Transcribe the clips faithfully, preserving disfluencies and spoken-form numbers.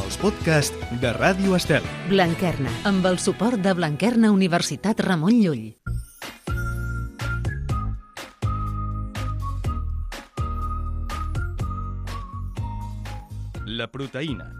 els podcasts de Ràdio Estel. Blanquerna, amb el suport de Blanquerna Universitat Ramon Llull. La proteïna.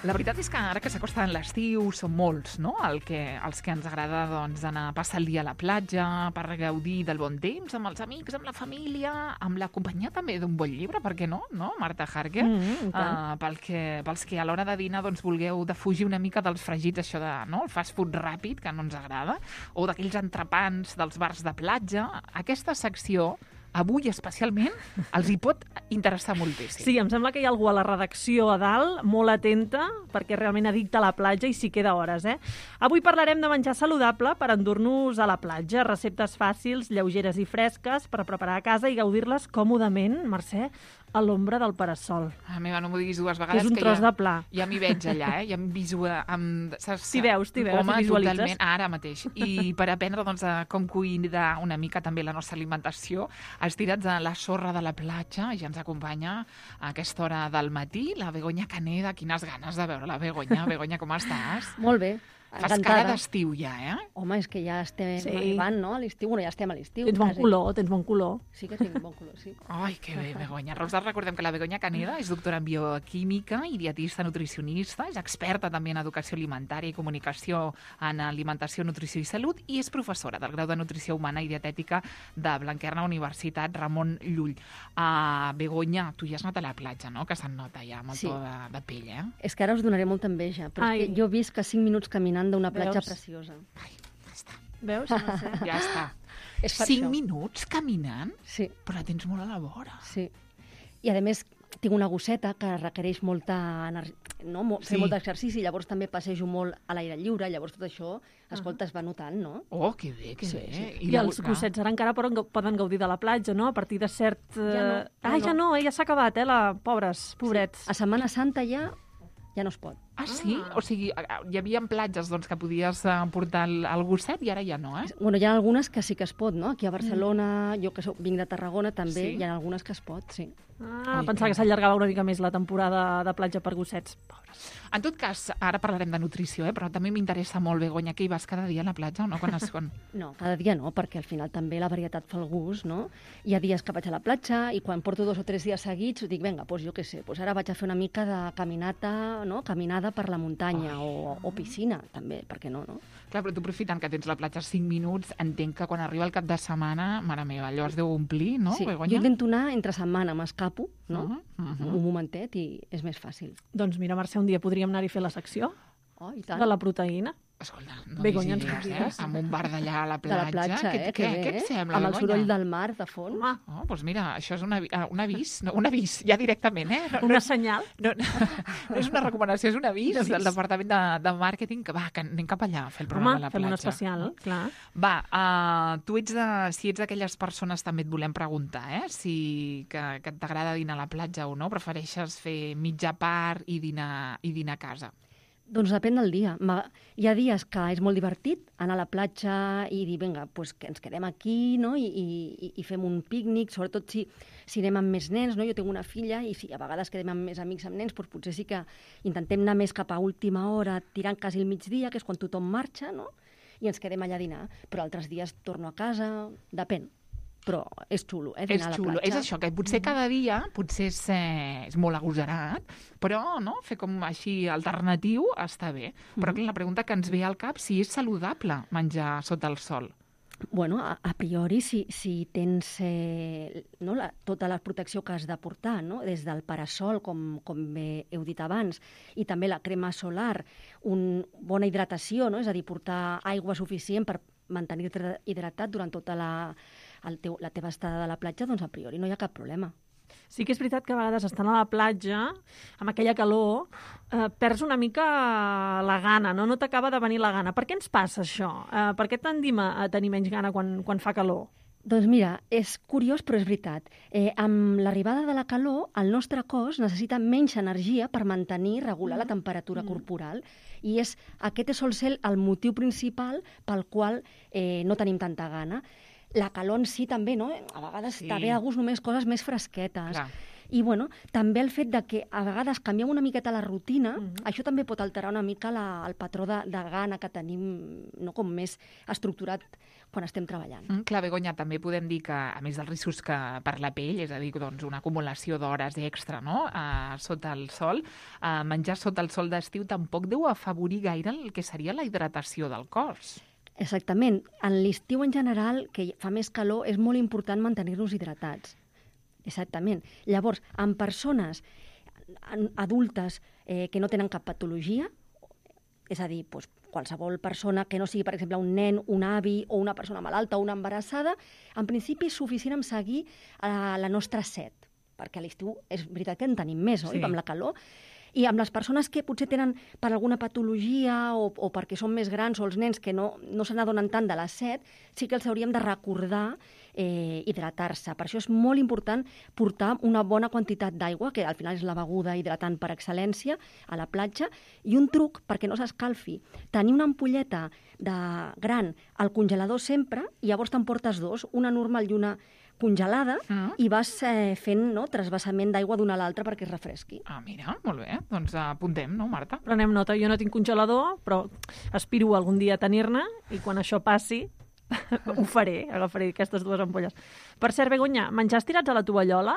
La veritat és que ara que s'acosta l'estiu som molts, no? El que, els que ens agrada doncs, anar a passar el dia a la platja per gaudir del bon temps amb els amics, amb la família, amb la companyia també d'un bon llibre, per què no? No, Marta Harker? Mm, uh, pel que, pels que a l'hora de dinar doncs, vulgueu defugir una mica dels fregits, això de no? El fast food ràpid, que no ens agrada, o d'aquells entrepans dels bars de platja. Aquesta secció avui especialment els hi pot interessar moltíssim. Sí, em sembla que hi ha algú a la redacció a dalt molt atenta perquè realment addicta a la platja i s'hi queda hores, eh? Avui parlarem de menjar saludable per endur-nos a la platja, receptes fàcils, lleugeres i fresques per preparar a casa i gaudir-les còmodament, Mercè, a l'ombra del parasol. A meva, no m'ho diguis dues Que vegades. és un que tros ja, de pla. Ja m'hi veig allà, eh? Ja em visual... Amb, saps? T'hi veus, t'hi veus, Home, t'hi visualitzes. totalment, ara mateix. I per aprendre doncs, a com cuidar una mica també la nostra alimentació, estirats a la sorra de la platja, ja ens acompanya a aquesta hora del matí la Begoña Caneda. Quines ganes de veure la Begoña. Begoña, com estàs? Molt bé. Fas encantada. cara d'estiu ja, eh? Home, és que ja estem Sí. arribant, no?, a l'estiu. Bueno, ja estem a l'estiu. Tens bon quasi. color, tens bon color. Sí que tinc bon color, sí. Ai, que bé, Begoña. Nosaltres recordem que la Begoña Caneda és doctora en bioquímica i dietista nutricionista, és experta també en educació alimentària i comunicació en alimentació, nutrició i salut i és professora del grau de nutrició humana i dietètica de Blanquerna Universitat Ramon Llull. Uh, Begoña, tu ja has anat a la platja, no?, que se'n nota ja amb el Sí. to de, de pell, eh? És que ara us donaré molta enveja, però Ai. és que jo visc que cinc minuts caminant d'una platja Veus? preciosa. Ai, ja està. Veus? No sé. Ja està. És per Cinc això. minuts caminant? Sí, Però la tens molt a la vora. sí. I a més tinc una gosseta que requereix molta energia, no? Mo- fer Sí. molt d'exercici, llavors també passejo molt a l'aire lliure, llavors tot això, escolta, es va notant, no? Oh, que bé, que Sí, bé. sí. I, la- els gossets ara encara poden, poden gaudir de la platja, no? A partir de cert... Ja no, eh, ja Ah, ja no. no, eh? Ja s'ha acabat, eh? La... Pobres, pobrets. A Setmana Santa ja ja no es pot. Ah, sí? Ah. O sigui, hi havia platges doncs, que podies eh, portar el, el gosset i ara ja no, eh? Bueno, hi ha algunes que sí que es pot, no? Aquí a Barcelona, jo que soc, vinc de Tarragona, també Sí? hi ha algunes que es pot, sí. Ah, Ui, pensava que- que s'allargava una mica més la temporada de platja per gossets. Pobres. En tot cas, ara parlarem de nutrició, eh? Però també m'interessa molt, Begoña, que hi vas cada dia a la platja o no? Quan es quan... No, cada dia no, perquè al final també la varietat fa el gust, no? Hi ha dies que vaig a la platja i quan porto dos o tres dies seguits dic, vinga, doncs jo què sé, doncs ara vaig a fer una mica de caminata, no? Caminada per la muntanya o, o piscina, també, per què no, no? Clar, però tu aprofitant que tens la platja cinc minuts, entenc que quan arriba el cap de setmana, mare meva, allò es deu omplir, no, sí, Begoña? jo intento anar entre setmana, m'escapo, no? Uh -huh, uh -huh. Un momentet i és més fàcil. Doncs mira, Mercè, un dia podríem anar-hi a fer la secció Oh, i tant. de la proteïna. Escolta, no Begoña, dis ens idees, eh? convides? Amb un bar d'allà a la De platja. la platja, què, eh? Que què, bé, què et eh? sembla, Amb el Begoña? soroll del mar de fons. Home, Oh, doncs mira, això és una, avi- ah, un avís, no, un avís, ja directament, eh? No, una senyal. no, no, no és una recomanació, és un avís Un avís. del Departament de, de Màrqueting, que va, que anem cap allà a fer el programa Home, a la fem platja. un especial, clar. Va, uh, tu ets de, si ets d'aquelles persones, també et volem preguntar, eh? Si que, que t'agrada dinar a la platja o no, prefereixes fer mitja part i dinar, i dinar a casa. Doncs depèn del dia. Ma- Hi ha dies que és molt divertit anar a la platja i dir, vinga, pues que ens quedem aquí, no? I, i, i fem un pícnic, sobretot si, si anem amb més nens, no? Jo tinc una filla i si a vegades quedem amb més amics amb nens, doncs potser sí que intentem anar més cap a última hora, tirant quasi el migdia, que és quan tothom marxa, no? I ens quedem allà a dinar. Però altres dies torno a casa, depèn. Però és xulo, eh, És dinar a la xulo, platja. és això, que potser cada dia, potser és, eh, és molt agosarat, però no, fer com així alternatiu està bé. Però clar, la pregunta que ens ve al cap, si és saludable menjar sota el sol. Bueno, a, a priori, si, si tens eh, no, la, tota la protecció que has de portar, no? Des del parasol, com, com bé heu dit abans, i també la crema solar, una bona hidratació, no? És a dir, portar aigua suficient per mantenir-te hidratat durant tota la, el teu, la teva estada de la platja, doncs a priori no hi ha cap problema. Sí que és veritat que a vegades estant a la platja, amb aquella calor, eh, perds una mica la gana, no? No t'acaba de venir la gana. Per què ens passa això? Eh, per què tendim a, a tenir menys gana quan, quan fa calor? Doncs mira, és curiós però és veritat. Eh, amb l'arribada de la calor, el nostre cos necessita menys energia per mantenir i regular la temperatura Mm. corporal. I és, aquest sol ser el motiu principal pel qual eh, no tenim tanta gana. la calor en si també, no? A vegades Sí. sí. també de gust només coses més fresquetes. Clar. I, bueno, també el fet de que a vegades canviem una miqueta la rutina, Mhm. això també pot alterar una mica la, el patró de, de gana que tenim, no, com més estructurat quan estem treballant. Mm, clar, Begoña, també podem dir que, a més dels riscos que per la pell, és a dir, doncs, una acumulació d'hores extra, no?, uh, sota el sol, uh, menjar sota el sol d'estiu tampoc deu afavorir gaire el que seria la hidratació del cos. Exactament. En l'estiu en general, que fa més calor, és molt important mantenir-nos hidratats. Exactament. Llavors, en persones adultes eh, que no tenen cap patologia, és a dir, doncs, qualsevol persona que no sigui, per exemple, un nen, un avi o una persona malalta o una embarassada, en principi és suficient amb seguir eh, la nostra set, perquè a l'estiu és veritat que en tenim més, oi? Sí. Amb la calor. I amb les persones que potser tenen per alguna patologia o, o perquè són més grans o els nens que no, no se n'adonen tant de la set, sí que els hauríem de recordar eh, hidratar-se. Per això és molt important portar una bona quantitat d'aigua, que al final és la beguda hidratant per excel·lència, a la platja, i un truc perquè no s'escalfi. Tenir una ampolleta de gran al congelador sempre, i llavors te'n portes dos, una normal i una congelada, Mm. i vas eh, fent, no, trasbassament d'aigua d'una a l'altra perquè es refresqui. Ah, mira, molt bé. Doncs apuntem, no, Marta? Prenem nota. Jo no tinc congelador, però aspiro algun dia a tenir-ne i quan això passi ho faré, agafaré aquestes dues ampolles. Per cert, Begoña, menjar estirats a la tovallola?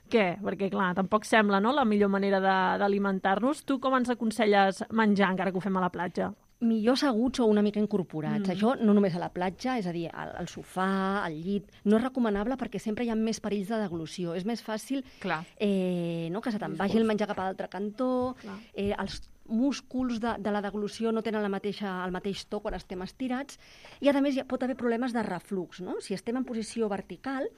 Què? Perquè, clar, tampoc sembla, no?, la millor manera de- d'alimentar-nos. Tu com ens aconselles menjar encara que ho fem a la platja? Millor asseguts o una mica incorporats. Mm. Això no només a la platja, és a dir, al, al sofà, al llit. No és recomanable perquè sempre hi ha més perills de deglució. És més fàcil Clar. eh, no, que se te'n vagi el menjar cap a l'altre cantó, Clar. eh, els músculs de, de la deglució no tenen la mateixa, el mateix to quan estem estirats, i a més hi ha, pot haver problemes de reflux, no? Si estem en posició vertical,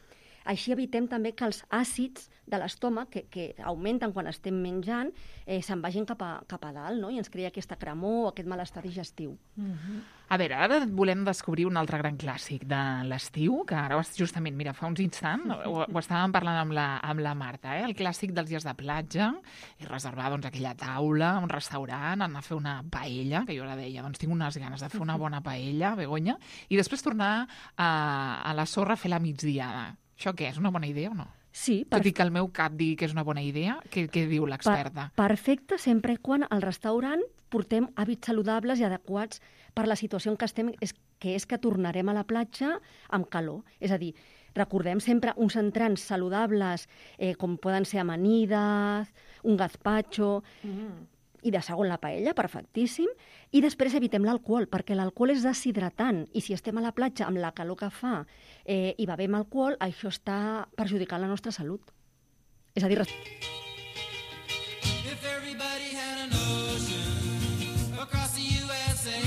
així evitem també que els àcids de l'estómac, que, que augmenten quan estem menjant, eh, se'n vagin cap a, cap a dalt, no? I ens crea aquesta cremor o aquest malestar digestiu. A veure, ara volem descobrir un altre gran clàssic de l'estiu, que ara justament, mira, fa uns instants ho, ho estàvem parlant amb la, amb la Marta, eh? El clàssic dels dies de platja, i reservar doncs, aquella taula, un restaurant, anar a fer una paella, que jo ara deia, doncs tinc unes ganes de fer una bona paella, Begoña, i després tornar a, a la sorra a fer la migdiada. Això què, és una bona idea o no? Sí, Tot i que el meu cap digui que és una bona idea, què, què diu l'experta? Per, perfecte, sempre i quan al restaurant portem hàbits saludables i adequats per la situació en què estem, és, que és que tornarem a la platja amb calor. És a dir, recordem sempre uns entrants saludables, eh, com poden ser amanides, un gazpacho, Mm. i de segon la paella, perfectíssim, i després evitem l'alcohol, perquè l'alcohol és deshidratant, i si estem a la platja amb la calor que fa eh, i bevem alcohol, això està perjudicant la nostra salut. És a dir, res- If everybody had an ocean across the U S A,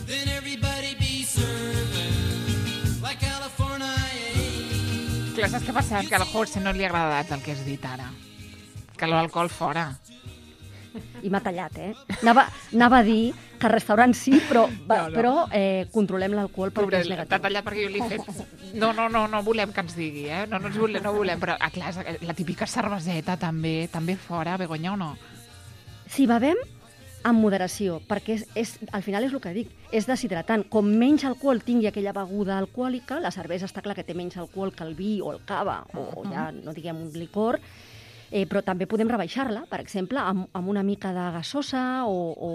then everybody be serving like California. Clar, saps què passa? Que al José no li ha agradat el que has dit ara. Que l'alcohol fora. i m'ha tallat, eh? Anava, anava a dir que al restaurant sí, però, va, No, no. però eh, controlem l'alcohol perquè Pobre, és t'ha negatiu. tallat perquè jo li he fet... No, no, no, no volem que ens digui, eh? No, no, ens volem, no volem, però, ah, clar, és la típica cerveseta també, també fora, Begoña, o no? Si bevem, amb moderació, perquè és, és, al final és el que dic, és deshidratant. Com menys alcohol tingui aquella beguda alcohòlica, la cervesa està clar que té menys alcohol que el vi o el cava, o, o ja no diguem un licor, eh, però també podem rebaixar-la, per exemple, amb, amb una mica de gasosa o, o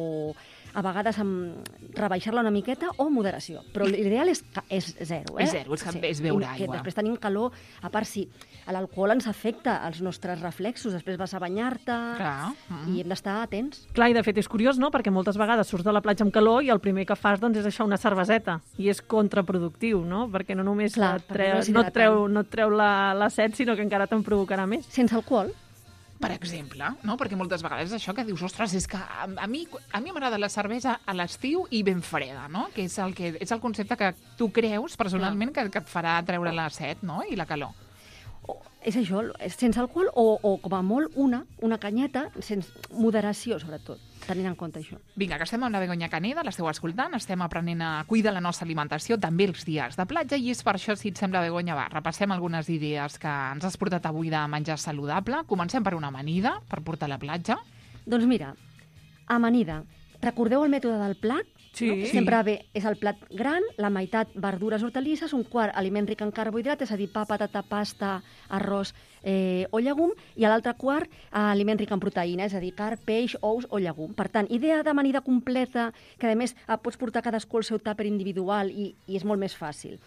a vegades amb rebaixar-la una miqueta o moderació. Però l'ideal és, ca- és zero. Eh? És zero, és que és beure I que aigua. després tenim calor, a part si l'alcohol ens afecta els nostres reflexos, després vas a banyar-te Clar. Mm. i hem d'estar atents. Clar, i de fet és curiós, no?, perquè moltes vegades surts de la platja amb calor i el primer que fas doncs, és això, una cerveseta. I és contraproductiu, no?, perquè no només Clar, et perquè treu, no és no et treu, hidratant. no et treu la, la set, sinó que encara te'n provocarà més. Sense alcohol, Per exemple, no? Perquè moltes vegades és això que dius, ostres, és que a, a mi a mi m'agrada la cervesa a l'estiu i ben freda, no? Que és el, que, és el concepte que tu creus personalment que, que et farà treure la set, no?, i la calor. o, és això, és sense alcohol o, o com a molt una, una canyeta, sense moderació, sobretot, tenint en compte això. Vinga, que estem amb la Begoña Caneda, l'esteu escoltant, estem aprenent a cuidar la nostra alimentació, també els dies de platja, i és per això, si et sembla, Begoña, va, repassem algunes idees que ens has portat avui de menjar saludable. Comencem per una amanida, per portar a la platja. Doncs mira, amanida. Recordeu el mètode del plat? Sí. No? Sempre bé, és el plat gran, la meitat verdures, hortalisses, un quart aliment ric en carbohidrat, és a dir, pa, patata, pasta, arròs eh, o llegum, i a l'altre quart aliment ric en proteïna, és a dir, carn, peix, ous o llegum. Per tant, idea d'amanida completa, que a més eh, pots portar cadascú el seu tàper individual i, i és molt més fàcil.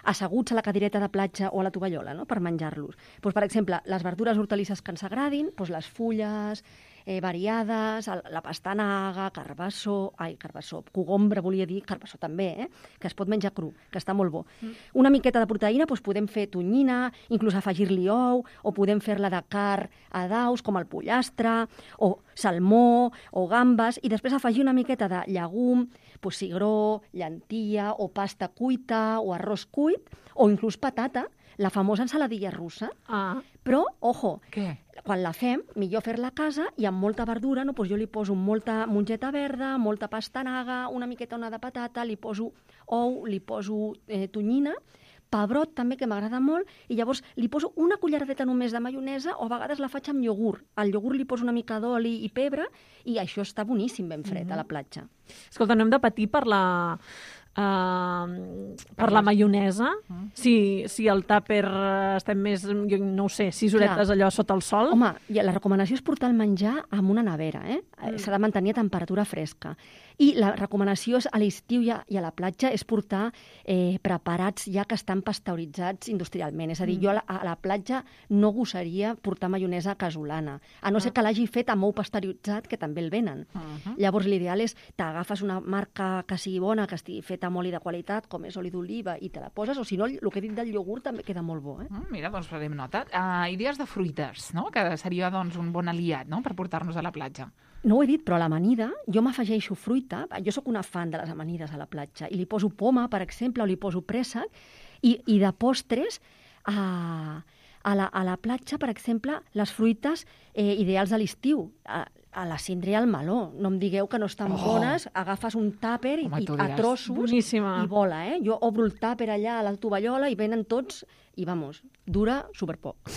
Asseguts a la cadireta de platja o a la tovallola, no?, per menjar-los. Pues, per exemple, les verdures hortalisses que ens agradin, pues, les fulles eh, variades, el, la pastanaga, carbassó, ai, carbassó, cogombre, volia dir, carbassó també, eh? Que es pot menjar cru, que està molt bo. Mm. Una miqueta de proteïna, doncs podem fer tonyina, inclús afegir-li ou, o podem fer-la de carn a daus, com el pollastre, o salmó, o gambes, i després afegir una miqueta de llegum, pues, cigró, llantilla, o pasta cuita, o arròs cuit, o inclús patata, la famosa ensaladilla russa. Ah. Però, ojo, Què? quan la fem, millor fer-la a casa i amb molta verdura, no? Pues jo li poso molta mongeta verda, molta pastanaga, una miqueta ona de patata, li poso ou, li poso eh, tonyina, pebrot també, que m'agrada molt, i llavors li poso una culleradeta només de maionesa, o a vegades la faig amb iogurt. Al iogurt li poso una mica d'oli i pebre, i això està boníssim ben fred mm-hmm. a la platja. Escolta, no hem de patir per la... Uh, per la maionesa, mm. si, si el tàper estem més, jo no ho sé, sis horetes Clar. allò sota el sol. Home, la recomanació és portar el menjar amb una nevera, eh? Mm. S'ha de mantenir a temperatura fresca. I la recomanació és a l'estiu i, i a la platja és portar eh, preparats ja que estan pasteuritzats industrialment. És a dir, mm. jo a la, a la platja no gosaria portar maionesa casolana, a no ah. ser que l'hagi fet amb ou pasteuritzat, que també el venen. Uh -huh. Llavors l'ideal és t'agafes una marca que sigui bona, que estigui feta amb oli de qualitat, com és oli d'oliva, i te la poses, o si no, el que he dit del iogurt també queda molt bo. Eh? Mm, mira, doncs farem nota. Uh, idees de fruites, no?, que seria doncs, un bon aliat, no?, per portar-nos a la platja. No ho he dit, però a l'amanida jo m'afegeixo fruita. Jo sóc una fan de les amanides a la platja i li poso poma, per exemple, o li poso préssec, i, i de postres a, a, la, a la platja, per exemple, les fruites eh, ideals de l'estiu. A, a la síndria i al meló. No em digueu que no estan oh. bones, agafes un tàper i, i a trossos Boníssima. i vola, eh? Jo obro el tàper allà a la tovallola i venen tots i, vamos, dura superpoc.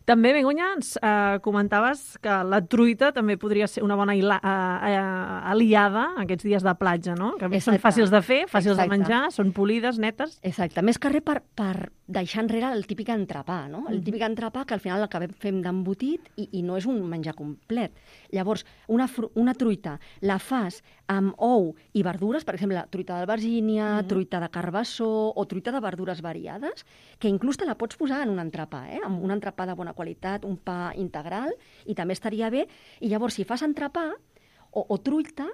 També, Begoña, ens eh, comentaves que la truita també podria ser una bona ila, eh, eh, aliada aquests dies de platja, no? Que Exacte. Són fàcils de fer, fàcils Exacte. de menjar, són polides, netes. Exacte. Més que res per, per deixar enrere el típic entrepà, no? El típic entrepà que al final l'acabem fent d'embotit i, i no és un menjar complet. Llavors, una, una truita la fas amb ou i verdures, per exemple, truita d'albergínia, mm. truita de carbassó o truita de verdures variades, que inclús te la pots posar en un entrepà, eh? Amb un entrepà de bona qualitat, un pa integral, i també estaria bé. I llavors, si fas entrepà o, o truita,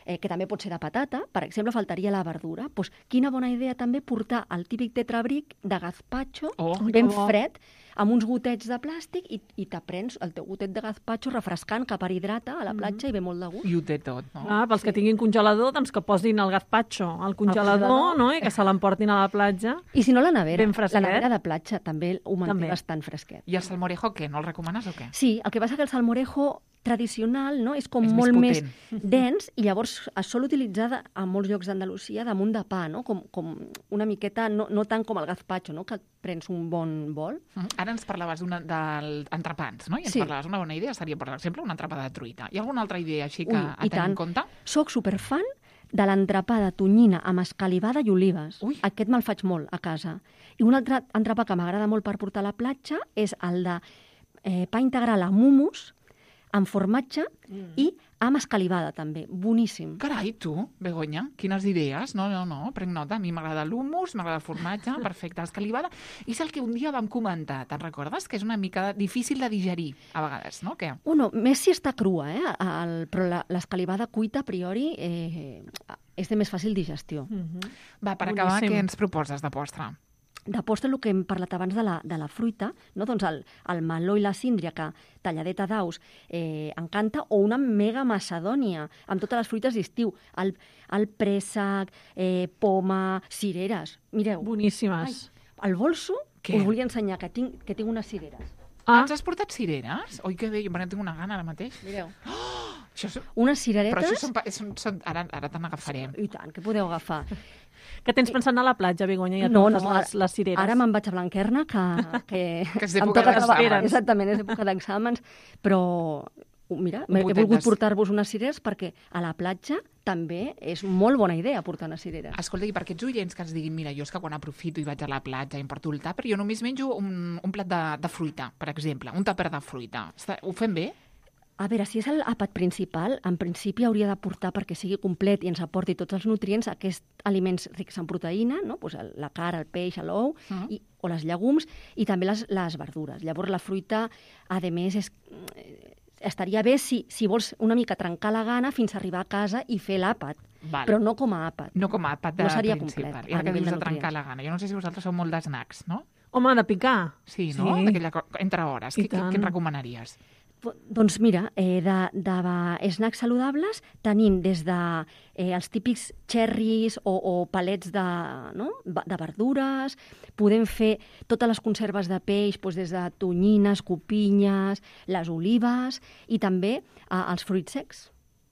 eh, que també pot ser de patata, per exemple, faltaria la verdura. Pues, quina bona idea també portar el típic tetrabric de gazpacho, oh, ben fred, amb uns gotets de plàstic, i, i t'aprens el teu gotet de gazpacho refrescant que perhidrata a la platja mm. i ve molt de gust. I ho té tot, no? Ah, pels sí. que tinguin congelador, doncs que posin el gazpacho al congelador, no? I que se l'emportin a la platja. I si no, la nevera. Ben fresquet. La nevera de platja també ho manté també. bastant fresquet. I el salmorejo, què? No el recomanes o què? Sí, el que passa que el salmorejo tradicional, no? És com és molt més, més dens, i llavors es sol utilitzar a molts llocs d'Andalusia damunt de pa, no? Com, com una miqueta, no, no tant com el gazpacho, no? Que et prens un bon bol. Uh -huh. Ara ens parlaves d'entrepans, no? I ens sí. parlaves una bona idea, seria, per exemple, una entrepà de truita. Hi ha alguna altra idea així que Ui, a tenir en compte? Soc superfan de l'entrepà de tonyina amb escalivada i olives. Ui. Aquest me'l faig molt a casa. I un altre entrepà que m'agrada molt per portar a la platja és el de eh, pa integral amb hummus, amb formatge mm. i amb escalivada, també. Boníssim. Carai, tu, Begoña, quines idees. No, no, no, prenc nota. A mi m'agrada l'hummus, m'agrada el formatge, perfecte, escalivada. I és el que un dia vam comentar, te'n recordes? Que és una mica difícil de digerir, a vegades, no? Què? Bueno, més si està crua, eh? El, però l'escalivada cuita, a priori, eh, és de més fàcil digestió. Mm -hmm. Va, per Boníssim. acabar, què ens proposes de postre? De postre, el que hem parlat abans de la, de la fruita, no? Doncs el, el meló i la síndria, que talladeta d'aus eh, encanta, o una mega macedònia, amb totes les fruites d'estiu. El, el préssec, eh, poma, cireres. Mireu. Boníssimes. Ai, el bolso, Què? us volia ensenyar que tinc, que tinc unes cireres. Ah, ens has portat cireres? Oi, que bé, jo tinc una gana ara mateix. Mireu. Oh, això és... Unes cireretes... Però això són... són, són ara ara te n'agafarem. I tant, que podeu agafar. Que tens pensant a la platja, Begoña, i et no, portes no, les, les cireres. Ara me'n vaig a Blanquerna, que, que, que és em època toca treballar. d'exàmens. Exactament, és època d'exàmens, però Mira, Un he gotet volgut de- portar-vos unes cireres perquè a la platja també és molt bona idea portar unes cireres. Escolta, i per aquests oients que ens diguin, mira, jo és que quan aprofito i vaig a la platja i em porto el tàper, jo només menjo un, un plat de, de fruita, per exemple, un tàper de fruita. Està, ho fem bé? A veure, si és el àpat principal, en principi hauria de portar, perquè sigui complet i ens aporti tots els nutrients, aquests aliments rics en proteïna, no? Pues el, la carn, el peix, l'ou, Mm. i, o les llegums, i també les, les verdures. Llavors, la fruita, a més, és, estaria bé si, si vols una mica trencar la gana fins a arribar a casa i fer l'àpat, Val. però no com a àpat. No com a àpat de No seria principal. complet, I ara a que nivell dius de de trencar nutrients. la gana. Jo no sé si vosaltres sou molt d'snacks, no? Home, de picar. Sí, no? Sí. D'aquella co- entre hores. I Què, què, tant. què en recomanaries? Po- Doncs mira, eh, de, de snacks saludables tenim des de eh, els típics cherries o, o palets de, no? Va- de verdures, podem fer totes les conserves de peix doncs des de tonyines, copinyes, les olives i també eh, els fruits secs.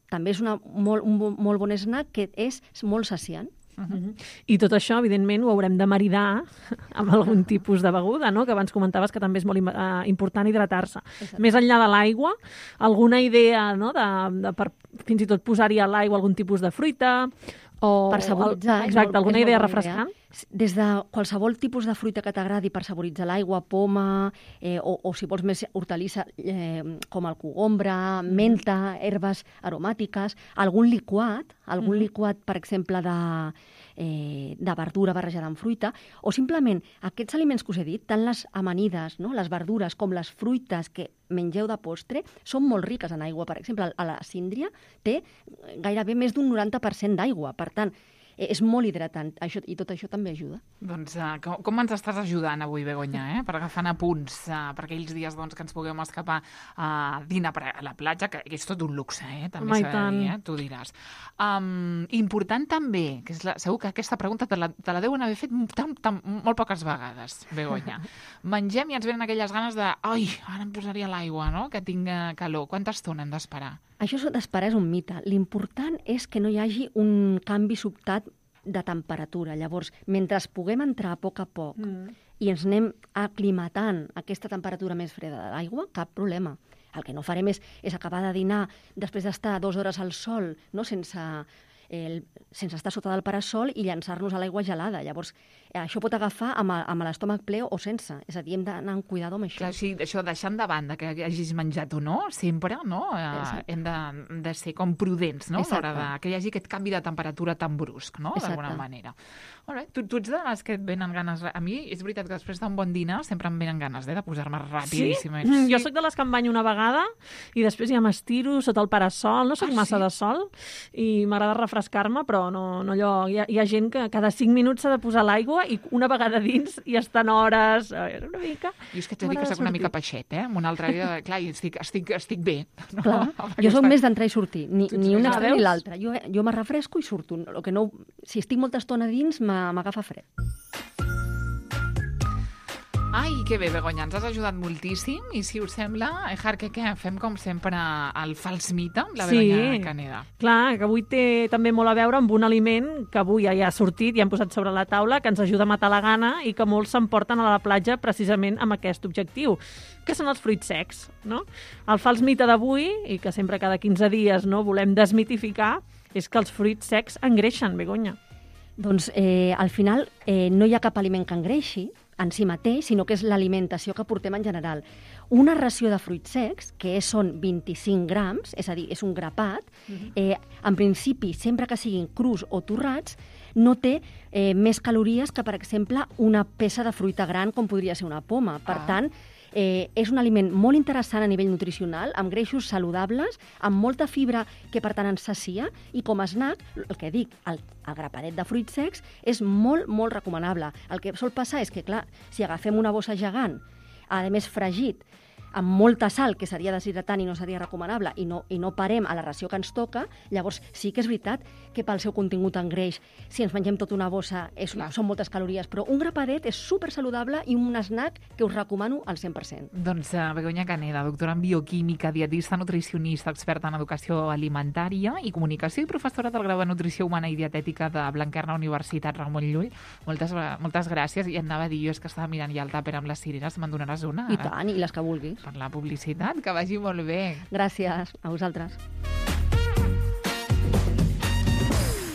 També és una, molt, un bo- molt bon snack que és molt saciant. Mhm. I tot això, evidentment, ho haurem de maridar amb algun tipus de beguda, no? Que abans comentaves que també és molt im- eh, important hidratar-se. Exacte. Més enllà de l'aigua, alguna idea, no? de, de per, fins i tot posar-hi a l'aigua algun tipus de fruita o... Per saboritzar. és Exacte, molt- alguna és molt idea bona refrescant? Des de qualsevol tipus de fruita que t'agradi per saboritzar l'aigua, poma, eh, o, o si vols més hortalissa, eh, com el cogombre, menta, herbes aromàtiques, algun liquat, algun Mhm. liquat, per exemple, de, eh, de verdura barrejada amb fruita, o simplement aquests aliments que us he dit, tant les amanides, no? les verdures, com les fruites que mengeu de postre, són molt riques en aigua. Per exemple, a la síndria té gairebé més d'un noranta per cent d'aigua. Per tant, eh, és molt hidratant, això, i tot això també ajuda. Doncs uh, com, com ens estàs ajudant avui, Begoña, eh? Per agafant apunts uh, per aquells dies doncs, que ens puguem escapar a dinar per a la platja, que és tot un luxe, eh? També Home, i s'ha de tant. dir, eh? Tu diràs. Um, important també, que és la, segur que aquesta pregunta te la, te la deuen haver fet tan, tan, molt poques vegades, Begoña. Mengem i ens venen aquelles ganes de ai, ara em posaria l'aigua, no? Que tinc eh, calor. Quanta estona hem d'esperar? Això d'esperar és un mite. L'important és que no hi hagi un canvi sobtat de temperatura. Llavors, mentre puguem entrar a poc a poc Mm. i ens anem aclimatant a aquesta temperatura més freda de l'aigua, cap problema. El que no farem és, és acabar de dinar després d'estar dues hores al sol, no? sense, el, sense estar sota del parasol i llançar-nos a l'aigua gelada. Llavors, eh, això pot agafar amb, a- amb l'estómac ple o sense. És a dir, hem d'anar amb cuidado amb això. Clar, sí, això deixant de banda que hagis menjat o no, sempre, no? Eh, Exacte. hem de, de ser com prudents, no? A l'hora Exacte. de que hi hagi aquest canvi de temperatura tan brusc, no? D'alguna Exacte. manera. Molt bé. Tu, tu ets de les que et venen ganes... A mi és veritat que després d'un bon dinar sempre em venen ganes eh, de posar-me Sí? rapidíssimament. Mm, Jo sóc de les que em banyo una vegada i després ja m'estiro sota el parasol. No sóc Ah, massa sí? de sol i m'agrada refrescar-me, però no, no allò... Hi ha, hi ha gent que cada cinc minuts s'ha de posar l'aigua i una vegada dins i estan hores... eh, una mica... Jo és que t'he dit que M'agrada soc una mica sortir. peixet, eh? Amb una altra vida, de- clar, i estic, estic, estic bé. No? Clar, Amb jo sóc aquesta- més d'entrar i sortir, ni, Tu ets ni més un de- extrem veus? ni l'altre. Jo, jo me refresco i surto. El que no, si estic molta estona dins, m'a- m'agafa fred. Ai, que bé, Begoña, ens has ajudat moltíssim i si us sembla, Ejar, que què? Fem com sempre el fals mite amb la Sí. Begoña Caneda. Clar, que avui té també molt a veure amb un aliment que avui ja hi ha sortit i hem posat sobre la taula, que ens ajuda a matar la gana i que molts s'emporten a la platja precisament amb aquest objectiu, que són els fruits secs, no? El fals mite d'avui, i que sempre cada quinze dies no volem desmitificar, és que els fruits secs engreixen, Begoña. Doncs eh, al final eh, no hi ha cap aliment que engreixi en si mateix, sinó que és l'alimentació que portem en general. Una ració de fruits secs, que són vint-i-cinc grams, és a dir, és un grapat, eh, en principi, sempre que siguin crus o torrats, no té eh, més calories que, per exemple, una peça de fruita gran, com podria ser una poma. Per Ah. tant, Eh, és un aliment molt interessant a nivell nutricional, amb greixos saludables, amb molta fibra que per tant ens sacia, i com a snack, el que dic, el, el grapadet de fruits secs és molt, molt recomanable. El que sol passar és que, clar, si agafem una bossa gegant, a més fregit, amb molta sal, que seria deshidratant i no seria recomanable, i no, i no parem a la ració que ens toca, llavors sí que és veritat que pel seu contingut en greix, si ens mengem tota una bossa, és, Clar. són moltes calories, però un grapadet és super saludable i un snack que us recomano al cent per cent. Doncs uh, Begoña Caneda, doctora en bioquímica, dietista, nutricionista, experta en educació alimentària i comunicació i professora del grau de nutrició humana i dietètica de Blanquerna Universitat Ramon Llull. Moltes, moltes gràcies. I anava a dir, jo és que estava mirant ja el tàper amb les cireres, me'n donaràs una? I ara? tant, i les que vulguis. per la publicitat, que vagi molt bé. Gràcies a vosaltres.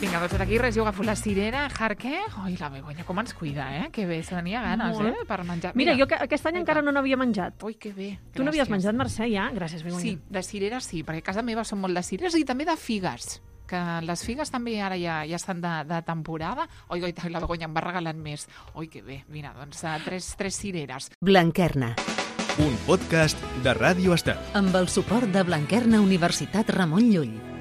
Vinga, doncs aquí res, jo agafo la cirera, Jarque. Oi, la Begoña, com ens cuida, eh? Que bé, se tenia ganes, Molt. eh? Per menjar. Mira, jo que aquest any encara no n'havia menjat. Ui, que bé. Tu n'havies gràcies. menjat, Mercè, ja? Gràcies, Begoña. Sí, de cireres sí, perquè a casa meva són molt de cireres i també de figues, que les figues també ara ja, ja estan de, de temporada. Oi, oi, la Begoña em va regalant més. Oi, que bé. Mira, doncs uh, tres, tres cireres. Blanquerna, Un podcast de Ràdio Estel. amb el suport de Blanquerna Universitat Ramon Llull.